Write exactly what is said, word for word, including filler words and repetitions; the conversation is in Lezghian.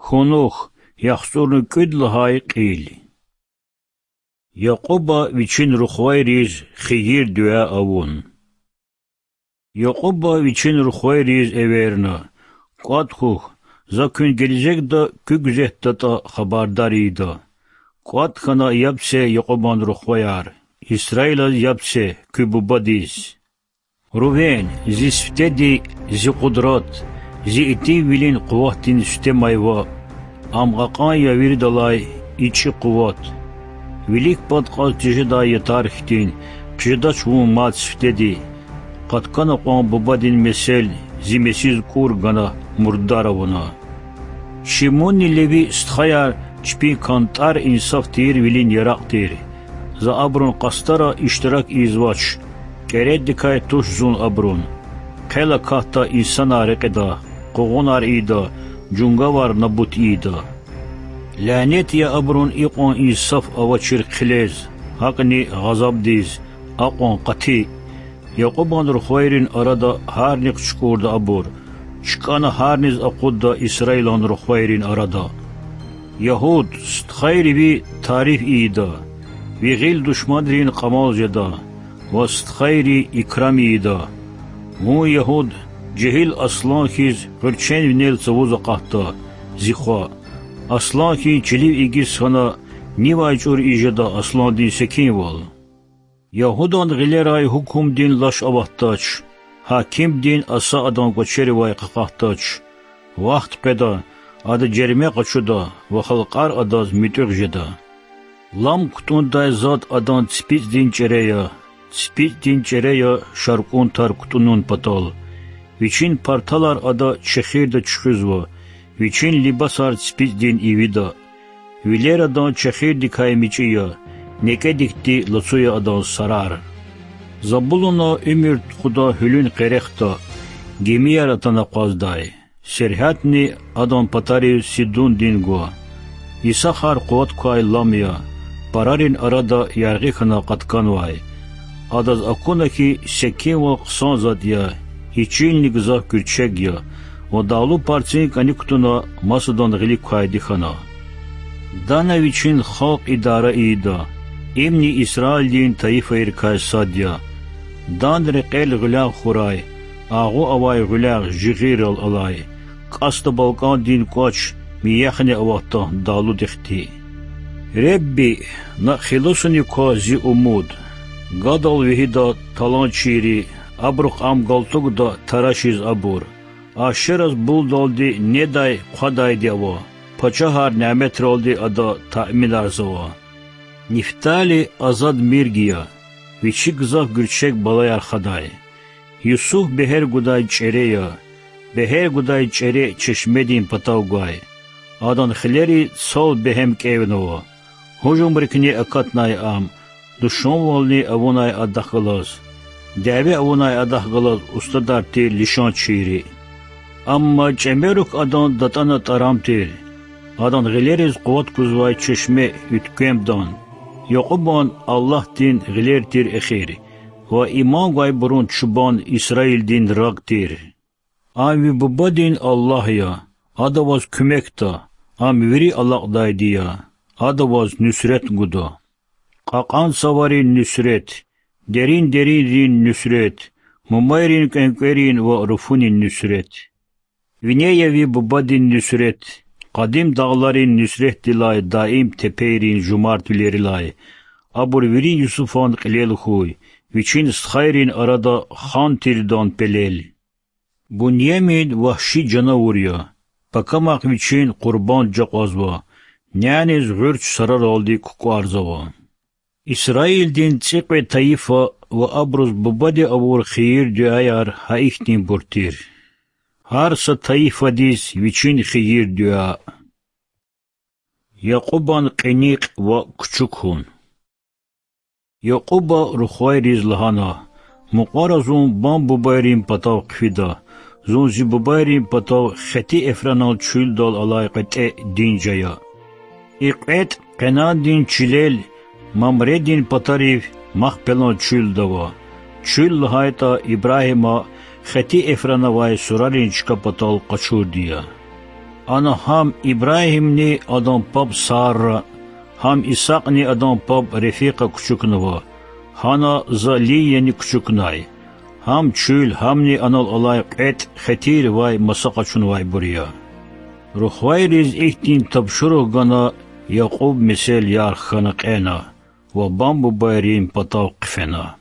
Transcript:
Кунух, яхцӏурни кӏуьд лагьай кьил. Якьуба вичин рухвайриз хийир-дуьа авун. Якьуба вичин рухвайриз эверна: КӀватӀ хьухь, за куьн гележегда куь гуьзетдатӀа хабардар ийида. КӀватӀ хьана яб це Якьубан рухваяр, Исраилаз яб це, куь бубадиз. Рувен, зи сифтеди, зи къудрат, зи итимвилин къуватдин сифте-майва, ам кьакьан я виридалай ичӀи къуват. Вилик пад кьаз тежедай ятар хьтин хъжедач вун мад сифтеди, къаткана кьван бубадин месел, зи месиз кӀур гана мурдар авуна. Шимунни Леви стхаяр чпин кантӀар инсаф тийирвилин яракь тир. За абурун къастара иштирак ийизвач, кӀередикай туш зун абурун. Хъел акатда инсанар рекьида, къугъунар ийида, жунгавар набут ийида. Лянет я абурун икьван инсаф авачир хъилез, гьакӀни гъазабдиз, акьван къати. Якьубан рухвайрин арада гьарни хъчукӀурда абур, чкӀана гьарниз акъудда Исраилан рухвайрин арада. Ягьуд, стхайри ви тариф ийида, ви гъил душманрин кьамал жеда ва стхайри икрам ийида. Вун, Ягьуд, жегьил аслан хьиз гъуьрчен винел цавуз акъатда, зи хва. Аслан хьиз чилив игиз хьана, нивай чӀур ийиз жеда асландин секинвал? Ягьудан гъилерай гьукумдин лаш аватдач, гьакимдин Аса адан кӀвачеривай къакъатдач. Вахт къведа, ада жерме къачуда ва халкьар адаз муьтӀуьгъ жеда. Лам кутӀундай затӀ адан ципицӀдин чӀере я, ципицӀдин чӀере я шаркӀун тар кутӀунун патал. Вичин парталар ада чехирда чуьхуьзва, вичин либасар ципицӀдин ивида. Вилер адан чехирдикай мичӀи я, некӀедикди лацу я адан сарар. Забулуна уьмуьр тухуда гьуьлуьн къерехда, гимияр атана акъваздай. Сергьятни адан патарив Сидундин гва. Исахар къуват квай лам я, парарин арада яргъи хьана къатканвай. Адаз акуна хьи, секинвал хъсан затӀ я, и чилни гзаф гуьрчег я, ва дагълу парцин кӀаник кутуна масадан гъилик квайди хьана. Дана вичин халкь идара ийида, имни Исраилдин тайифайрикай сад я. Дан рекьел гъуьлягъ хьурай, агъу авай гъуьлягъ жигъиррал алай, кӀасда балкӀандин кӀвач мияхни аватда дагълудихъди. Ребби, на хилусуни ква зи умуд. Гадал вегьида таланчийри, абурухъ ам галтугда тарашиз абур. Ашераз булдалди недай хъвадайди ава, пачагьар няметралди ада таъминарзава. Нифтали азад мирг я, вичи гзаф гуьрчег балаяр хадай. Юсуф бегьер гудай чӀере я, бегьер гудай чӀере чешмедин патав гвай. Адан хилери цал бегьем кӀевнава. Гьужумрикни акатнай ам, душманвални авунай адахъ галаз, дяве авунай адахъ галаз устадар тир лишанчийри. Амма чӀемерук адан датӀана тӀарам тир, адан гъилериз къуват гузвай чешме уьтквемдан. Якьубан Аллагьдин гъилер тир эхир, ва иман гвайбурун чубан Исраилдин рагъ тир. Ам ви бубадин Аллагь я, ада ваз куьмекда, ам вири алакьдайди я, ада ваз нуьсрет гуда. Кьакьан цаварин нуьсрет, дерин-деринрин нуьсрет, мумайрин кӀвенкӀверин ва руфунин нуьсрет. Вине я ви бубадин нуьсрет, къадим дагъларин нуьсретдилай даим тепейрин жумартвилерилай. Абур вири Юсуфан кьилел хьуй, вичин стхайрин арада хан тирдан пелел. Буньямин вагьши жанавур я, пакамахъ вичин къурбанд жакьвазва, няниз гъуьрч сараралди кукӀварзава. Исраилдин цӀикьвед тайифа ва абуруз бубади авур хийир-дуьаяр гьа ихьтинбур тир. Гьар са тайифадиз вичин хийир-дуьа. Якьубан кьиникь ва кучукун. Якьуба рухвайриз лагьана: Мукьвара зун бан-бубайрин патав хъфида, зун зи бубайрин патав Хети Эфронан чуьлдал алай кьветӀе динж ая. И кьветӀ Къенандин чилел Мамредин патарив Махпелан чуьлда ава, чуьл лагьайтӀа Ибрагьима Хети Эфронавай сурарин чка патал къачурди я. Ана гьам Ибрагьимни адан паб Сара, гьам Исакьни адан паб Рефикьа кучукнава, гьана за Лияни кучукнай. Гьам чуьл, гьамни анал алай кьветӀ хетирвай маса къачунвайбур я. Рухвайриз ихьтин тапшуругъ гана, Якьуб месел ярх хьана кьена ва бам-бубайрин патав хъфена.